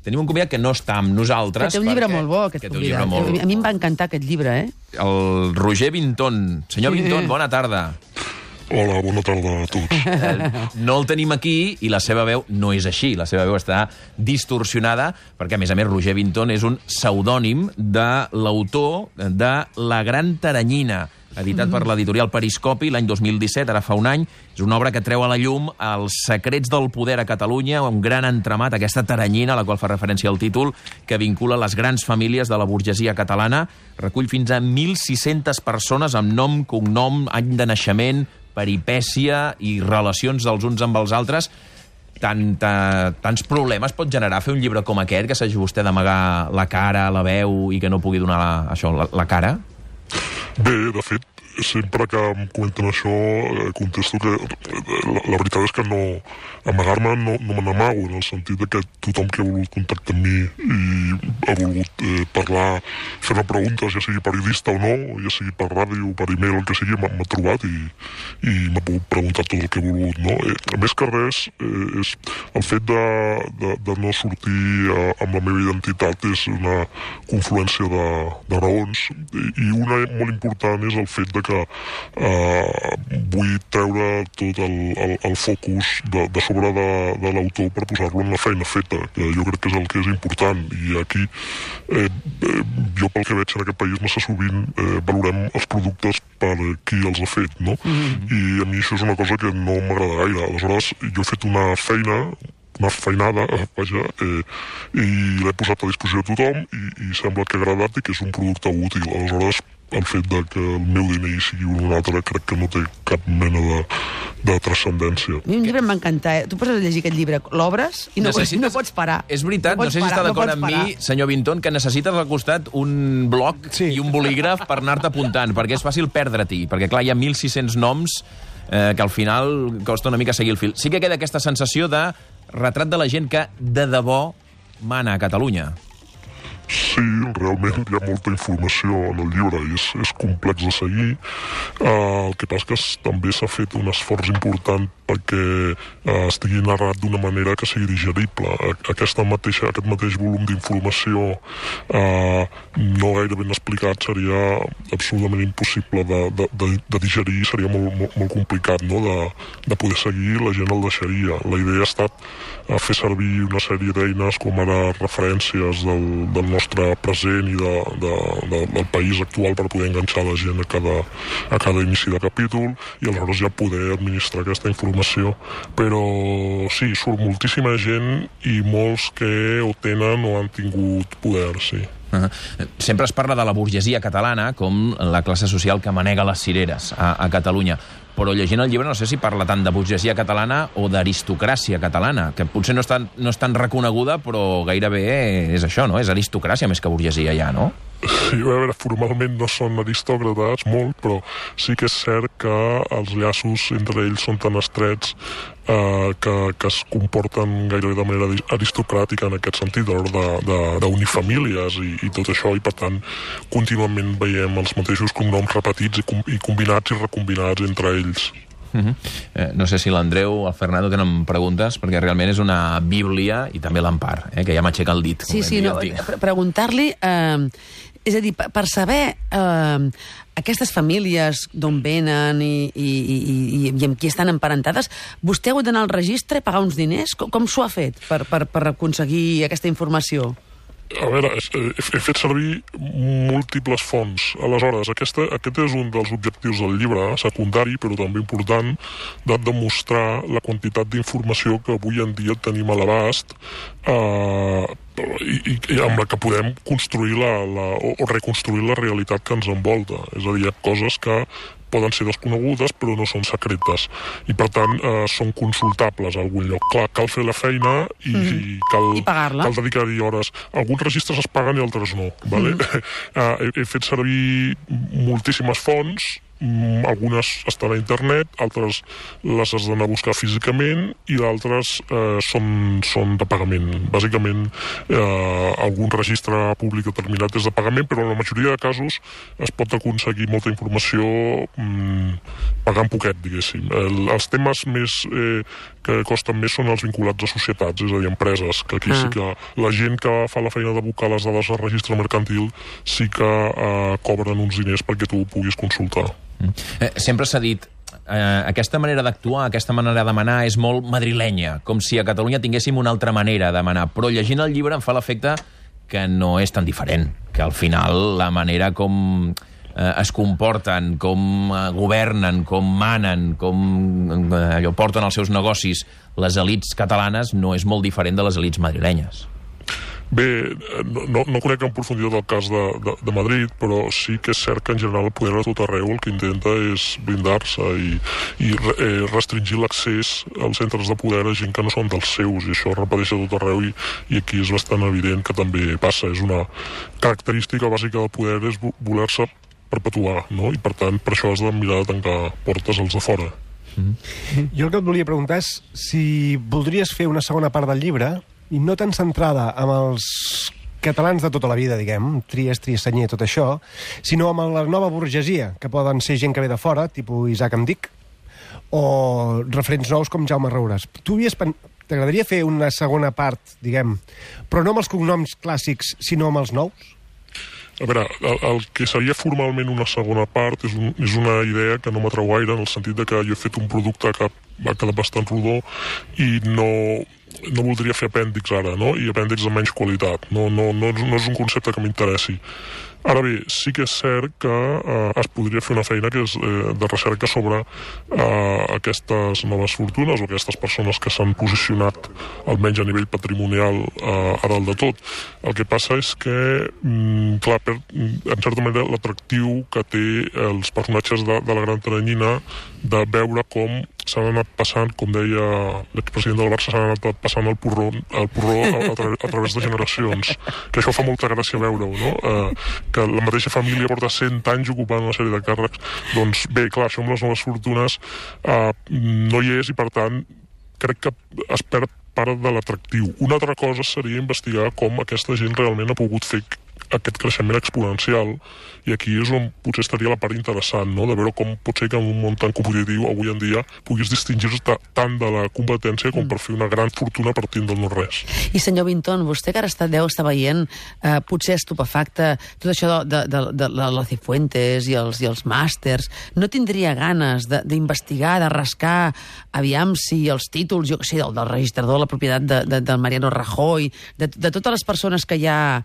tenim un convidat que no està amb nosaltres. Que té un llibre molt bo, aquest convidat. A mi em va encantar aquest llibre, El Roger Vinton. Senyor Vinton, bona tarda. Hola, bona tarda a tots. No el tenim aquí i la seva veu no és així. La seva veu està distorsionada perquè, a més, Roger Vinton és un pseudònim de l'autor de La gran taranyina, editat per l'editorial Periscopi l'any 2017, ara fa un any. És una obra que treu a la llum els secrets del poder a Catalunya, un gran entramat, aquesta taranyina, a la qual fa referència al títol, que vincula les grans famílies de la burgesia catalana. Recull fins a 1.600 persones amb nom, cognom, any de naixement, peripècia i relacions dels uns amb els altres. Tants problemes pot generar fer un llibre com aquest, que s'hagi vostè d'amagar la cara, la veu, i que no pugui donar la cara? Bé, de fet, sempre que em comenten això, contesto que la veritat és que no amagar-me no me n'amago, en el sentit que tothom que ha volgut contactar amb mi i ha volgut parlar, fer-me preguntes, ja sigui periodista o no, ja sigui per ràdio, per e-mail, el que sigui, m'ha trobat i m'ha pogut preguntar tot el que ha volgut, no? A més que res, és el fet de no sortir amb la meva identitat és una confluència de raons, i una molt important és el fet de que vull treure tot el focus de sobre de l'autor per posar-lo en la feina feta, que jo crec que és el que és important. I aquí jo, pel que veig en aquest país, massa sovint valorem els productes per qui els ha fet, no? I a mi això és una cosa que no m'agrada gaire. Aleshores, jo he fet una feina, una feinada, vaja, i l'he posat a disposició de tothom i sembla que ha agradat i que és un producte útil. Aleshores, el fet de que el meu DNI sigui un altre crec que no té cap mena de transcendència. A mi un llibre em va encantar. Tu poses a llegir aquest llibre, l'obres i no pots parar. És veritat, no sé si està d'acord amb mi, senyor Vinton, que necessites al costat un bloc i un bolígraf per anar-te apuntant, perquè és fàcil perdre-t'hi, perquè clar, hi ha 1.600 noms que al final costa una mica seguir el fil. Sí que queda aquesta sensació de retrat de la gent que de debò mana a Catalunya. Sí, realment hi ha molta informació en el llibre i és complex de seguir. El que passa que també s'ha fet un esforç important perquè estigui narrat d'una manera que sigui digerible. Aquest mateix volum d'informació no gaire ben explicat seria absolutament impossible de digerir, seria molt complicat, no? De poder seguir, la gent el deixaria. La idea ha estat fer servir una sèrie d'eines com ara referències del nostre present i del país actual per poder enganxar la gent a cada inici de capítol i aleshores ja poder administrar aquesta informació. Però sí, surt moltíssima gent i molts que o tenen o han tingut poder, sí. Sempre es parla de la burgesia catalana com la classe social que manega les cireres a Catalunya, però llegint el llibre no sé si parla tant de burgesia catalana o d'aristocràcia catalana, que potser no és tan reconeguda, però gairebé és això, no? És aristocràcia més que burgesia ja, no? Sí, a veure, formalment no són aristòcrates, molt, però sí que és cert que els llaços entre ells són tan estrets que es comporten gairebé de manera aristocràtica en aquest sentit, a l'hora d'unir famílies i tot això, i per tant contínuament veiem els mateixos cognoms repetits i combinats i recombinats entre ells. No sé si l'Andreu o el Fernando tenen preguntes, perquè realment és una bíblia, i també l'Empar, que ja m'aixeca el dit. Sí, preguntar-li... És a dir, per saber aquestes famílies d'on venen i amb qui estan emparentades, vostè ha hagut d'anar al registre i pagar uns diners? Com s'ho ha fet per aconseguir aquesta informació? A veure, he fet servir múltiples fonts. Aleshores, aquest és un dels objectius del llibre, secundari, però també important, de demostrar la quantitat d'informació que avui en dia tenim a l'abast i amb la que podem construir o reconstruir la realitat que ens envolta. És a dir, hi ha coses que poden ser desconegudes però no són secretes i per tant són consultables a algun lloc. Clar, cal fer la feina i cal dedicar-hi hores. Alguns registres es paguen i altres no. Vale? He fet servir moltíssimes fonts algunes estan a internet, altres les has d'anar a buscar físicament i d'altres són de pagament. Bàsicament, algun registre públic determinat és de pagament, però en la majoria de casos es pot aconseguir molta informació pagant poquet, diguéssim. Els temes més que costen més són els vinculats a societats, és a dir, empreses, que aquí sí que la gent que fa la feina de buscar les dades al registre mercantil sí que cobren uns diners perquè tu ho puguis consultar. Sempre s'ha dit aquesta manera d'actuar, aquesta manera de demanar és molt madrilenya, com si a Catalunya tinguéssim una altra manera de demanar, però llegint el llibre em fa l'efecte que no és tan diferent, que al final la manera com es comporten, com governen, com manen, com porten els seus negocis les elits catalanes no és molt diferent de les elits madrilenyes. Bé, no conec en profunditat el cas de Madrid, però sí que és cert que en general el poder a tot arreu el que intenta és blindar-se i restringir l'accés als centres de poder a gent que no són dels seus, i això es repeteix a tot arreu i aquí és bastant evident que també passa. És una característica bàsica del poder, és voler-se perpetuar, no? I per tant per això has de mirar de tancar portes als de fora. Jo el que et volia preguntar és si voldries fer una segona part del llibre i no tan centrada amb els catalans de tota la vida, diguem, Trias, Triassenyer, tot això, sinó amb la nova burgesia, que poden ser gent que ve de fora, tipus Isaac Amdic, o referents nous com Jaume Roures. T'agradaria fer una segona part, diguem, però no amb els cognoms clàssics, sinó amb els nous? A veure, el que seria formalment una segona part és una idea que no m'atrau gaire, en el sentit de que jo he fet un producte que va quedar bastant rodó i no voldria fer apèndix ara, no? I apèndix de menys qualitat. No és un concepte que m'interessi. Ara bé, sí que és cert que es podria fer una feina que és de recerca sobre aquestes noves fortunes o aquestes persones que s'han posicionat almenys a nivell patrimonial a dalt de tot. El que passa és que, clar, en certa manera l'atractiu que té els personatges de la Gran Teranyina de veure com s'han anat passant, com deia l'expresident del Barça, s'han anat passant el porró a través de generacions. Que això fa molta gràcia veure-ho, no? Que la mateixa família porta 100 anys ocupant una sèrie de càrrecs. Doncs bé, clar, això amb les noves fortunes no hi és i, per tant, crec que es perd part de l'atractiu. Una altra cosa seria investigar com aquesta gent realment ha pogut fer aquest creixement exponencial, i aquí és on potser estaria la part interessant, no? De veure com pot ser que en un món tan competitiu avui en dia puguis distingir-te tant de la competència com per fer una gran fortuna partint del no-res. I senyor Vinton, vostè que ara deu estar veient potser estupefacte tot això de la Cifuentes i els màsters, no tindria ganes d'investigar, de rascar, aviam si els títols, jo què sé, del registrador de la propietat del Mariano Rajoy, de totes les persones que hi ha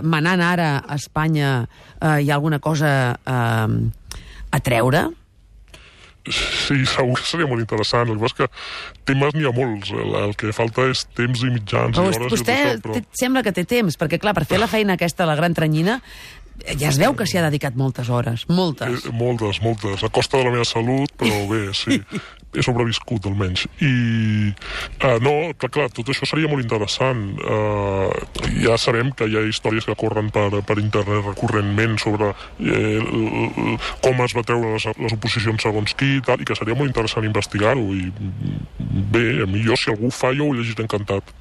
manant ara a Espanya, hi ha alguna cosa a treure? Sí, segur que seria molt interessant. El que passa és que temes n'hi ha molts. El que falta és temps i mitjans i hores. Vostè sembla que té temps, perquè clar, per fer la feina aquesta, la Gran Teranyina, ja es veu que s'hi ha dedicat moltes hores. Moltes. Moltes. A costa de la meva salut, però bé, sí. He sobreviscut, almenys. I, no, clar, tot això seria molt interessant. Ja sabem que hi ha històries que corren per internet recurrentment sobre com es va treure les oposicions segons qui i tal, i que seria molt interessant investigar-ho. I bé, a mi, si algú ho fa, jo ho llegiré encantat.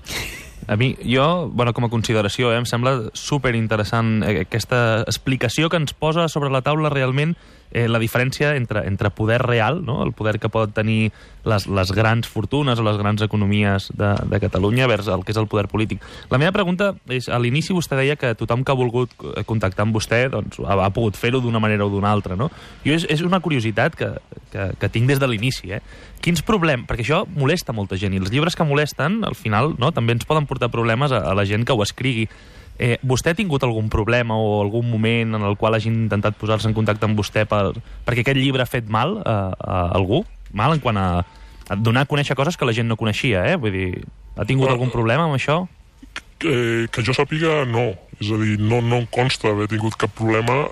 A mi, com a consideració, em sembla superinteressant aquesta explicació que ens posa sobre la taula realment la diferència entre poder real, no? El poder que poden tenir les grans fortunes o les grans economies de Catalunya vers el que és el poder polític. La meva pregunta és, a l'inici vostè deia que tothom que ha volgut contactar amb vostè doncs, ha pogut fer-ho d'una manera o d'una altra, no? Jo és una curiositat que tinc des de l'inici, Quins problemes? Perquè això molesta molta gent, i els llibres que molesten, al final, no, també ens poden portar problemes a la gent que ho escrigui. Vostè ha tingut algun problema o algun moment en el qual hagi intentat posar-se en contacte amb vostè perquè aquest llibre ha fet mal a algú? Mal en quant a donar a conèixer coses que la gent no coneixia, Vull dir, ha tingut algun problema amb això? Que jo sàpiga, no. És a dir, no em consta haver tingut cap problema.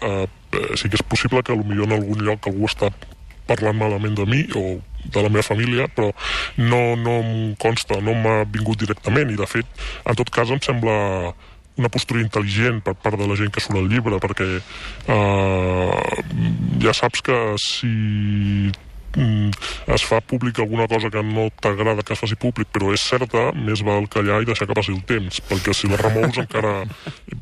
Sí que és possible que potser en algun lloc algú està parlant malament de mi o de la meva família, però no em consta, no m'ha vingut directament, i de fet, en tot cas em sembla una postura intel·ligent per part de la gent que surt al llibre, perquè ja saps que si es fa públic alguna cosa que no t'agrada que es faci públic, però és certa, més val callar i deixar que passi el temps, perquè si la remous encara...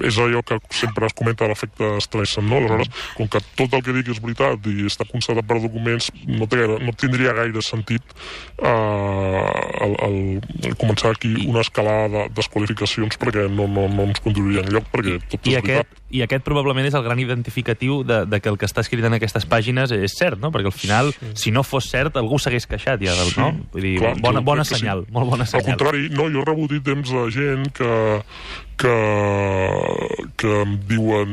És allò que sempre es comenta l'efecte Streisand, no? Aleshores, com que tot el que dic és veritat i està constatat per documents, no tindria gaire sentit començar aquí una escalada de desqualificacions, perquè no ens conduiria enlloc, perquè tot és veritat. I aquest probablement és el gran identificatiu de que el que està escrit en aquestes pàgines és cert, no? Perquè al final, si no fos cert, algú s'hagués queixat ja, no? Vull dir, bona senyal, molt bona senyal. Al contrari, no, jo he rebut temps de gent que em diuen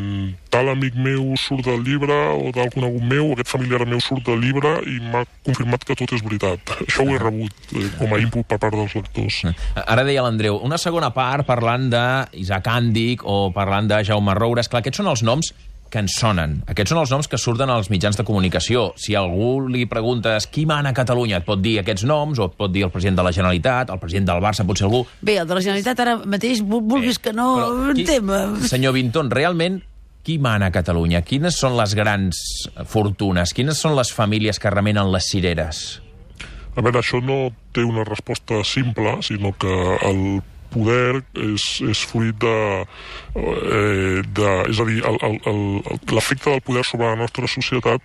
tal amic meu surt del llibre o tal conegut meu, aquest familiar meu surt del llibre i m'ha confirmat que tot és veritat. Això ho he rebut com a input per part dels lectors. Ara deia l'Andreu, una segona part parlant d'Isaac Àndic o parlant de Jaume Roures. Clar, aquests són els noms que ens sonen. Aquests són els noms que surten als mitjans de comunicació. Si a algú li preguntes qui mana a Catalunya, et pot dir aquests noms, o et pot dir el president de la Generalitat, el president del Barça, potser algú... Bé, el de la Generalitat ara mateix, vulguis que no, un tema... Senyor Vinton, realment, qui mana a Catalunya? Quines són les grans fortunes? Quines són les famílies que remenen les cireres? A veure, això no té una resposta simple, sinó que el poder és fruit és a dir, l'efecte del poder sobre la nostra societat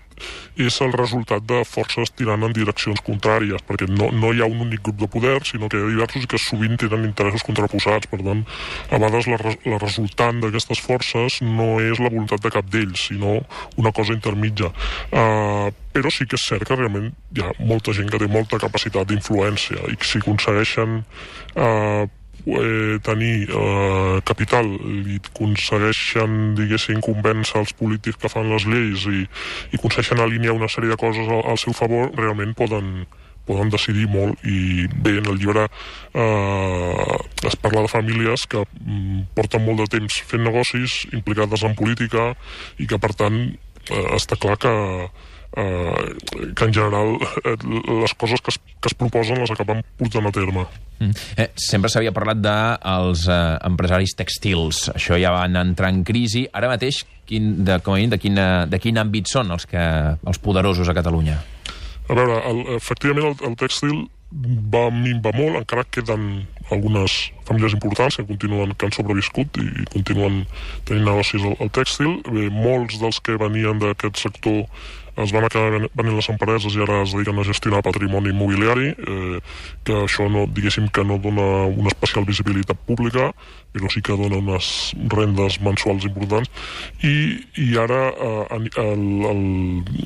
és el resultat de forces tirant en direccions contràries, perquè no hi ha un únic grup de poder, sinó que hi ha diversos i que sovint tenen interessos contraposats. Per tant, a vegades la resultant d'aquestes forces no és la voluntat de cap d'ells, sinó una cosa intermitja. Però sí que és cert que realment hi ha molta gent que té molta capacitat d'influència i que si aconsegueixen tenir capital i aconsegueixen, diguéssim, convèncer els polítics que fan les lleis i aconsegueixen alinear una sèrie de coses al seu favor, realment poden decidir molt. I bé, en el llibre es parla de famílies que porten molt de temps fent negocis, implicades en política, i que per tant està clar que en general les coses que es proposen les acaben portant a terme. Sempre s'havia parlat dels empresaris tèxtils. Això ja van entrar en crisi. Ara mateix, de quin àmbit són els poderosos a Catalunya? A veure, efectivament el tèxtil va minvar molt, encara queden algunes famílies importants que han sobreviscut i continuen tenint negocis al tèxtil. Molts dels que venien d'aquest sector es van acabar venint les empreses i ara es dediquen a gestionar patrimoni immobiliari, que això diguéssim que no dona una especial visibilitat pública, però sí que dona unes rendes mensuals importants. I ara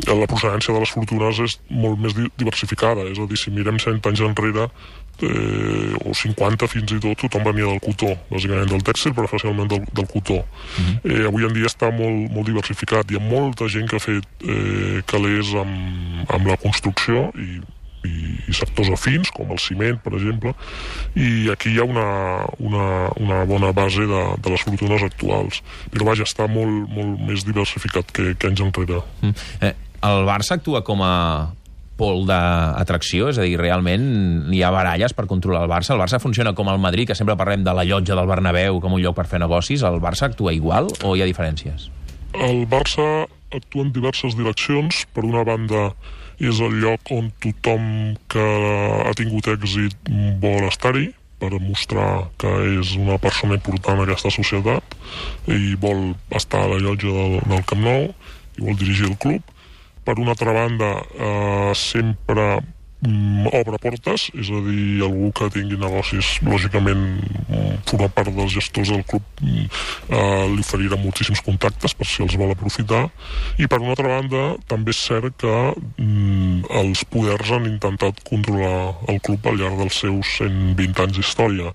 la procedència de les fortunes és molt més diversificada, és a dir, si mirem 100 anys enrere, o 50 fins i tot, tothom venia del cotó, bàsicament del tèxtil, però especialment del cotó. Avui en dia està molt diversificat. Hi ha molta gent que ha fet calés amb la construcció i sectors afins, com el ciment, per exemple, i aquí hi ha una bona base de les fortunes actuals. Però vaja, està molt més diversificat que anys enrere. El Barça actua com a pol d'atracció, és a dir, realment hi ha baralles per controlar el Barça. El Barça funciona com el Madrid, que sempre parlem de la llotja del Bernabéu com un lloc per fer negocis. El Barça actua igual o hi ha diferències? El Barça actua en diverses direccions. Per una banda, és el lloc on tothom que ha tingut èxit vol estar-hi, per mostrar que és una persona important en aquesta societat i vol estar a la llotja del Camp Nou i vol dirigir el club. Per una altra banda, sempre obre portes, és a dir, algú que tingui negocis, lògicament forma part dels gestors del club, li oferirà moltíssims contactes per si els vol aprofitar. I per una altra banda, també és cert que els poders han intentat controlar el club al llarg dels seus 120 anys d'història.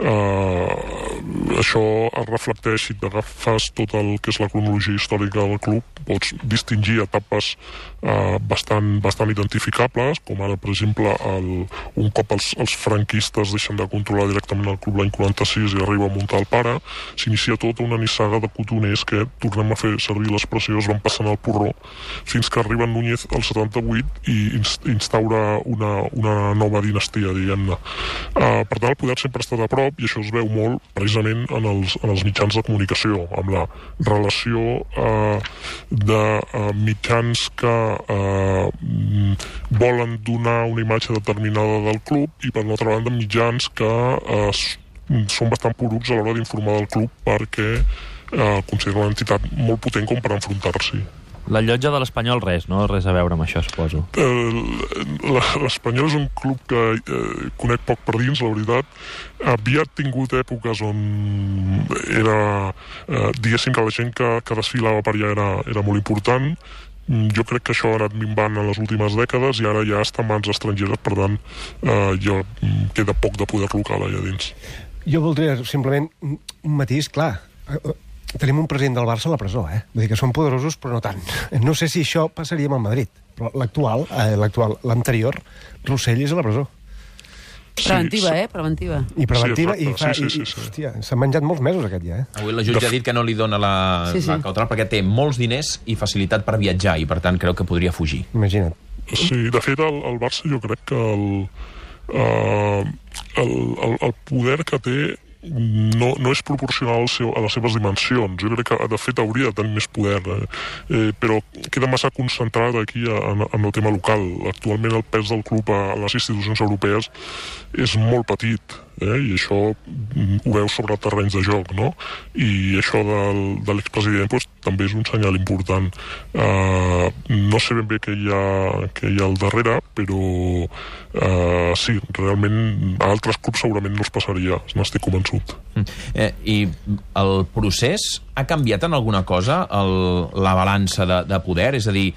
Això es reflecteix, si t'agafes tot el que és la cronologia històrica del club, pots distingir etapes bastant identificables, com ara, per exemple, un cop els franquistes deixen de controlar directament el club l'any 46 i arriba a muntar el pare, s'inicia tota una nissaga de cotoners que, tornem a fer servir l'expressió, es van passant al porró, fins que arriba Núñez al 78 i instaura una nova dinastia, diguem-ne. Per tant, el poder sempre ha estat a prop, cop, i això es veu molt precisament en els mitjans de comunicació, amb la relació de mitjans que volen donar una imatge determinada del club i, per una altra banda, mitjans que són bastant porucs a l'hora d'informar del club perquè consideren una entitat molt potent com per enfrontar-s'hi. La Llotja de l'Espanyol res, no? Res a veure amb això, suposo. L'Espanyol és un club que conec poc per dins, la veritat. Havia tingut èpoques on era, diguéssim que la gent que desfilava per allà era molt important. Jo crec que això ha anat minvant en les últimes dècades i ara ja està en mans estrangeres, per tant, ja queda poc de poder local allà dins. Jo voldria simplement un matís, clar. Tenim un president del Barça a la presó, Vull dir que són poderosos, però no tant. No sé si això passaria amb el Madrid, però l'anterior, Rossell és a la presó. Preventiva, Preventiva. I preventiva, sí, sí. Hòstia, s'ha menjat molts mesos aquest ja, Avui la jutge ha dit que no li dona la cautelar perquè té molts diners i facilitat per viatjar i, per tant, creu que podria fugir. Imagina't. Sí, de fet, el Barça jo crec que el poder que té no és proporcional a les seves dimensions. Jo crec que, de fet, hauria de tenir més poder, però queda massa concentrat aquí en el tema local. Actualment el pes del club a les institucions europees és molt petit, i això ho veus sobre terrenys de joc, no? I això de l'expresident també és un senyal important. No sé ben bé què hi ha al darrere, però sí, realment a altres clubs segurament no es passaria, n'estic convençut. I el procés ha canviat en alguna cosa la balança de poder? És a dir,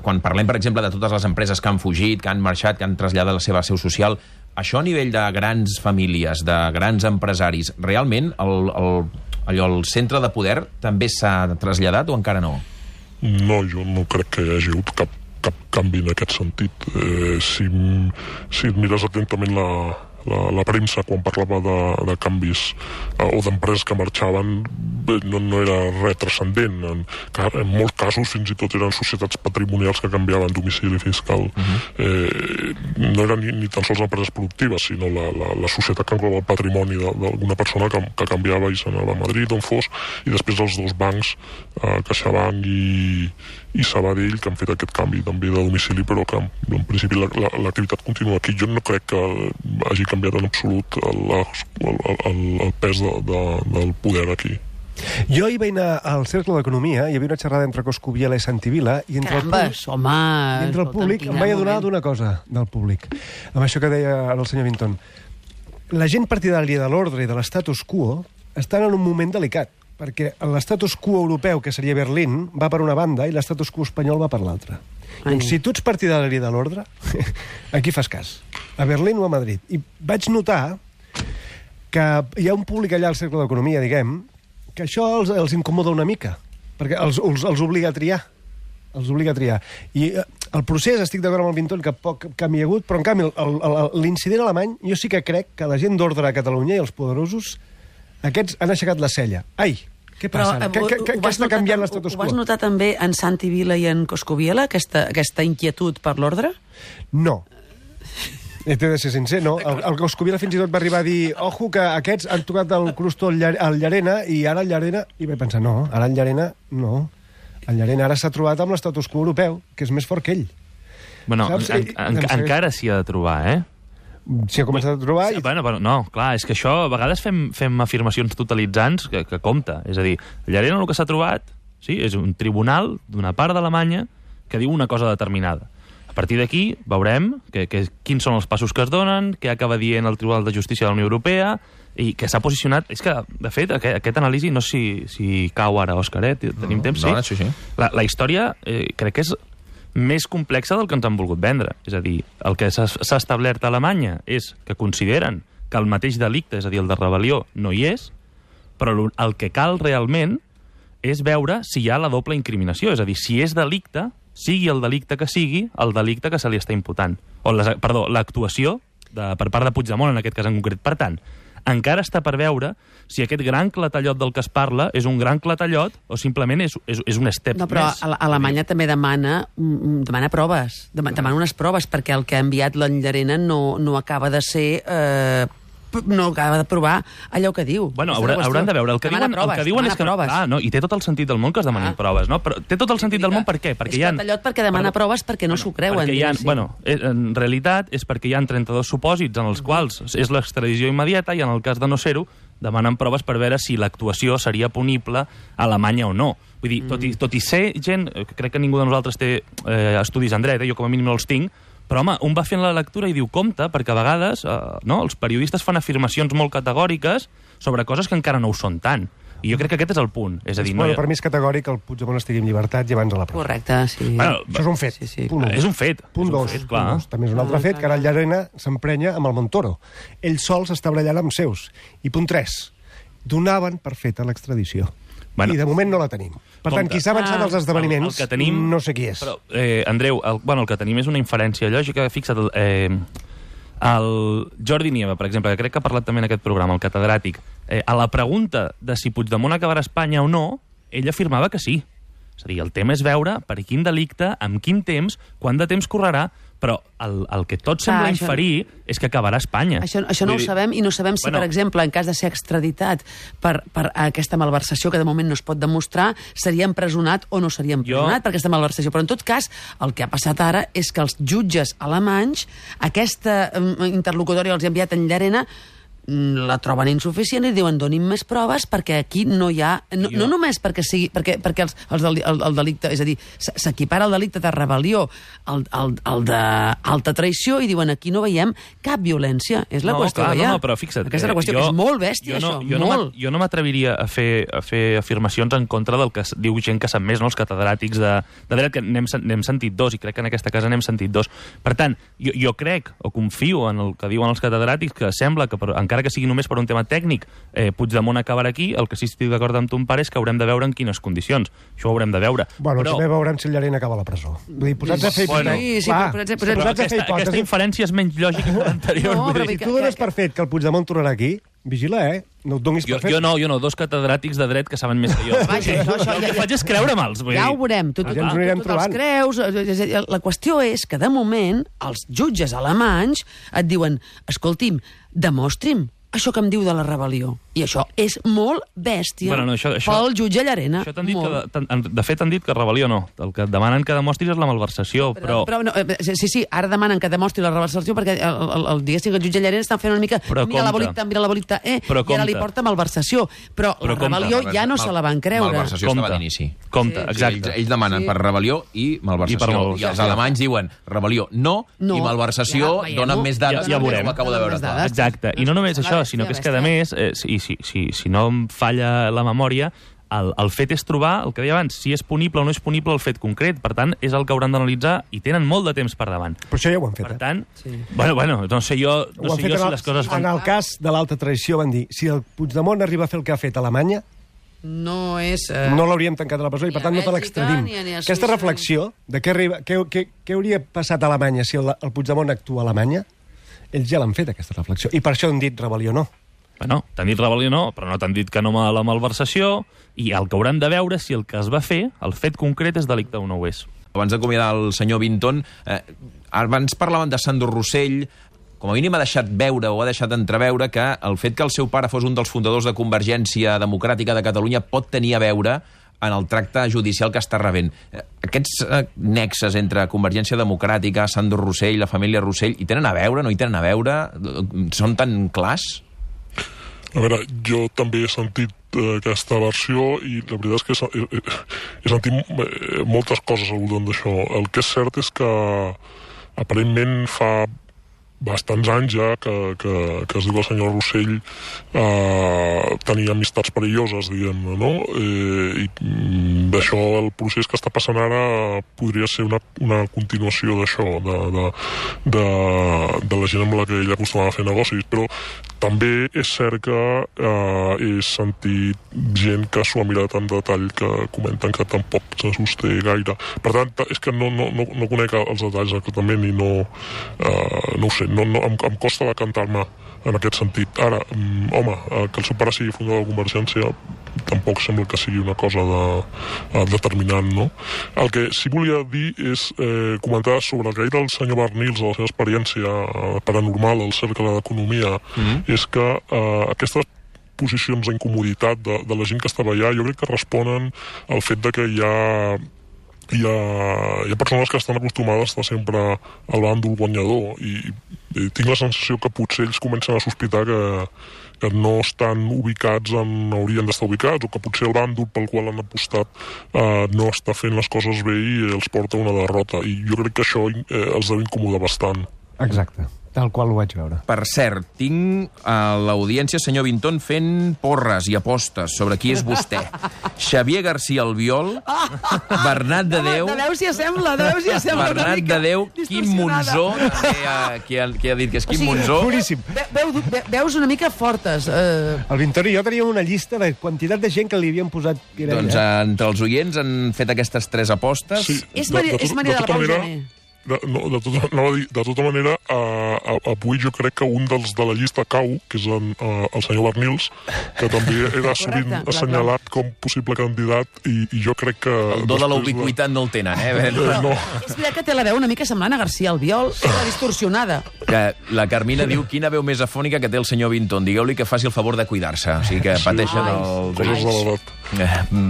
quan parlem, per exemple, de totes les empreses que han fugit, que han marxat, que han traslladat la seva seu social, això a nivell de grans famílies, de grans empresaris, realment el centre de poder també s'ha traslladat o encara no? No, jo no crec que hi hagi hagut cap canvi en aquest sentit. Si et mires atentament la premsa quan parlava de canvis o d'empreses que marxaven, no era res transcendent. En molts casos fins i tot eren societats patrimonials que canviaven domicili fiscal. No eren ni tan sols empreses productives, sinó la societat que engloba el patrimoni d'alguna persona que canviava i s'anava a Madrid, on fos, i després els dos bancs, CaixaBank i Sabadell, que han fet aquest canvi també de domicili, però que en principi l'activitat continua aquí. Jo no crec que hagi canviat en absolut el pes del poder aquí. Jo hi vaig anar al Cercle d'Economia, hi havia una xerrada entre Coscubiela i Santivila, i entre el públic em vaig adonar d'una cosa del públic, amb això que deia ara el senyor Vinton. La gent partidària de l'ordre i de l'estatus quo estan en un moment delicat, perquè l'estatus quo europeu, que seria Berlín, va per una banda i l'estatus quo espanyol va per l'altra. Doncs si tu ets partidari de l'ordre, aquí fas cas. A Berlín o a Madrid. I vaig notar que hi ha un públic allà al Cercle d'Economia, diguem, que això els incomoda una mica, perquè els obliga a triar. Els obliga a triar. I el procés, estic d'acord amb el Vinton, que poc canvi hi ha hagut, però en canvi l'incident alemany, jo sí que crec que la gent d'ordre a Catalunya i els poderosos, aquests han aixecat la cella. Ai, què passa? Què està canviant l'estatus quo? Ho vas notar també en Santi Vila i en Coscubiela, aquesta inquietud per l'ordre? No. T'he de ser sincer, no? El Coscubiela fins i tot va arribar a dir ojo, que aquests han tocat el crustó al Llarena i ara el Llarena... I vaig pensar, no, ara el Llarena no. El Llarena ara s'ha trobat amb l'estatus quo europeu, que és més fort que ell. Bueno, encara s'hi ha de trobar, S'hi ha començat a trobar... Bueno, no, clar, és que això a vegades fem afirmacions totalitzants que compta. És a dir, el Llarena el que s'ha trobat és un tribunal d'una part d'Alemanya que diu una cosa determinada. A partir d'aquí veurem quins són els passos que es donen, què acaba dient el Tribunal de Justícia de la Unió Europea i que s'ha posicionat... És que, de fet, aquest anàlisi, no sé si cau ara, Òscar, tenim temps? No, sí. La història crec que és més complexa del que ens han volgut vendre. És a dir, el que s'ha establert a Alemanya és que consideren que el mateix delicte, és a dir, el de rebel·lió, no hi és, però el que cal realment és veure si hi ha la doble incriminació. És a dir, si és delicte, sigui el delicte que sigui, el delicte que se li està imputant. L'actuació per part de Puigdemont, en aquest cas en concret. Per tant, encara està per veure si aquest gran clatallot del que es parla és un gran clatallot o simplement és un step més. No, però Alemanya també demana proves, demana unes proves, perquè el que ha enviat l'en Llarena no acaba de ser de provar allò que diu. Bueno, hauran de veure. El que diuen és que... No, i té tot el sentit del món que es demanin proves, no? Però té tot el sentit del món per què? És patallot perquè demana proves perquè no s'ho creuen. En realitat és perquè hi ha 32 supòsits en els quals és l'extradició immediata i en el cas de no ser-ho demanen proves per veure si l'actuació seria punible a Alemanya o no. Vull dir, tot i ser gent... Crec que ningú de nosaltres té estudis en dret, jo com a mínim no els tinc, però, home, un va fent la lectura i diu compte, perquè a vegades els periodistes fan afirmacions molt categòriques sobre coses que encara no ho són tant. I jo crec que aquest és el punt. És a dir, per mi és categòric que el Puigdemont estigui en llibertat i abans a la presó. Correcte, sí. Això és un fet. Punt 1. És un fet. Punt 2. També és un altre fet, que ara el Llarena s'emprenya amb el Montoro. Ell sol s'està barallant amb seus. I punt 3. Donaven per feta l'extradició. I de moment no la tenim. Per tant, qui s'ha avançat als esdeveniments, no sé qui és. Però, Andreu, el que tenim és una inferència lògica. Fixa't, el Jordi Nieva, per exemple, que crec que ha parlat també en aquest programa, el catedràtic, a la pregunta de si Puigdemont acabarà a Espanya o no, ell afirmava que sí. És a dir, el tema és veure per quin delicte, amb quin temps, quant de temps correrà, però el que tot sembla inferir és que acabarà a Espanya. Això no ho sabem, i no sabem si, per exemple, en cas de ser extraditat per aquesta malversació, que de moment no es pot demostrar, seria empresonat o no seria empresonat per aquesta malversació. Però, en tot cas, el que ha passat ara és que els jutges alemanys, aquesta interlocutòria els ha enviat en Llarena, la troben insuficient i diuen donin més proves perquè aquí no hi ha... No només perquè sigui... Perquè el delicte... És a dir, s'equipara el delicte de rebel·lió al d'alta traïció i diuen aquí no veiem cap violència. És la qüestió que hi ha. No, però fixa't... Aquesta és la qüestió, que és molt bèstia, això. Jo no m'atreviria a fer afirmacions en contra del que diu gent que sap més, no? Els catedràtics de dret, que n'hem sentit dos, i crec que en aquesta casa n'hem sentit dos. Per tant, jo crec, o confio en el que diuen els catedràtics, que sembla que encara que sigui només per un tema tècnic, Puigdemont acabarà aquí, el que sí estic d'acord amb ton pare és que haurem de veure en quines condicions. Això ho haurem de veure. Bueno, també veurem si el Llarena acaba a la presó. Vull dir, posats a fer hipòtesis... Aquesta inferència és menys lògica que l'anterior. Si tu dones per fet que el Puigdemont tornarà aquí, vigila, no et donis per fet. Jo no, dos catedràtics de dret que saben més que jo. El que faig és creure'm-els. Ja ho veurem, tu els creus. La qüestió és que, de moment, els jutges alemanys et diuen, escolti'm, demostri'm això que em diu de la rebel·lió. I això és molt bèstia pel jutge Llarena. De fet, han dit que rebel·lió no. El que demanen que demostris és la malversació. Sí, ara demanen que demostri la malversació perquè diguéssim que el jutge Llarena està fent una mica mira la bolita, i ara li porta malversació. Però la rebel·lió ja no se la van creure. Malversació estava d'inici. Compte, exacte. Ells demanen per rebel·lió i malversació. I els alemanys diuen rebel·lió no, i malversació donen més dades. Ja veurem. Exacte. I no només això, sinó que és que, a més, si no em falla la memòria, el fet és trobar, el que deia abans, si és punible o no és punible el fet concret. Per tant, és el que hauran d'analitzar i tenen molt de temps per davant. Però això ja ho han fet. Per tant, no sé jo si les coses fan... En el cas de l'alta traïció van dir, si el Puigdemont arriba a fer el que ha fet a Alemanya, no l'hauríem tancat a la presó i per tant no te l'extradim. Aquesta reflexió de què hauria passat a Alemanya si el Puigdemont actua a Alemanya, ells ja l'han fet, aquesta reflexió. I per això han dit rebel·lió no. Bueno, t'han dit rebel·lió no, però no t'han dit que no a la malversació, i el que hauran de veure si el que es va fer, el fet concret, és delicte o no ho és. Abans d'acomiadar el senyor Vinton, abans parlaven de Sandro Rossell, com a mínim ha deixat veure o ha deixat entreveure que el fet que el seu pare fos un dels fundadors de Convergència Democràtica de Catalunya pot tenir a veure en el tracte judicial que està rebent. Aquests nexes entre Convergència Democràtica, Sandro Rossell, la família Rossell, hi tenen a veure, no hi tenen a veure? Són tan clars? A veure, jo també he sentit aquesta versió i la veritat és que he sentit moltes coses al voltant d'això. El que és cert és que aparentment fa bastants anys ja que es diu el senyor Rossell tenia amistats perilloses, diguem-ne, no? I d'això el procés que està passant ara podria ser una continuació d'això, de la gent amb la que ell acostumava a fer negocis, però també és cert que he sentit gent que s'ho ha mirat en detall que comenten que tampoc se sosté gaire. Per tant, és que no conec els detalls exactament i no ho sé, em costa decantar-me en aquest sentit. Ara, home, que el seu pare sigui fundador de Convergència tampoc sembla que sigui una cosa determinant, no? El que sí volia dir és comentar sobre el que ha dit el senyor Barnils a la seva experiència paranormal al Cercle d'Economia, és que aquestes posicions d'incomoditat de la gent que estava allà jo crec que responen al fet de que hi ha persones que estan acostumades a estar sempre al bàndol guanyador i tinc la sensació que potser ells comencen a sospitar que no estan ubicats on haurien d'estar ubicats, o que potser el bàndol pel qual han apostat no està fent les coses bé i els porta una derrota, i jo crec que això els deu incomodar bastant. Exacte, tal qual ho vaig veure. Per cert, tinc a l'audiència senyor Vinton fent porres i apostes sobre qui és vostè. Xavier García Albiol, Bernat de Déu... De Déu s'hi assembla, Bernat de Déu, Quim Monzó, que ha dit que és Quim Monzó. Boníssim. Veus una mica fortes. El Vintor i jo teníem una llista de quantitat de gent que li havien posat... Doncs entre els oients han fet aquestes 3 apostes. Sí, És Maria de la Pau Gené. De tota manera, avui jo crec que un dels de la llista cau, que és el senyor Barnils, que també era sovint assenyalat com possible candidat, i jo crec que... El do de la ubiquitat no el tenen, No. És veritat que té la veu una mica semblant a García Albiol, però distorsionada. Que la Carmina diu quina veu més afònica que té el senyor Vinton. Digueu-li que faci el favor de cuidar-se. O sigui que pateixen els... Coses de l'edat.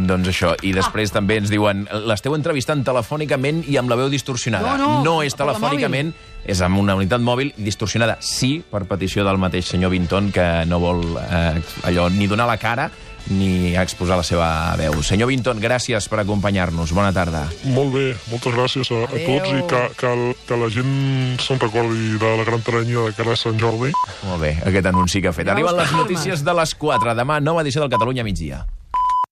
Doncs això. I després també ens diuen l'esteu entrevistant telefònicament i amb la veu distorsionada. No és telefònicament, és amb una unitat mòbil distorsionada. Sí, per petició del mateix senyor Vinton, que no vol allò ni donar la cara ni exposar la seva veu. Senyor Vinton, gràcies per acompanyar-nos. Bona tarda. Molt bé, moltes gràcies a tots, i que la gent se'n recordi de la gran teranya de cara a Sant Jordi. Molt bé, aquest anunci que ha fet. Arriben les notícies de les 4. Demà, nova edició del Catalunya migdia.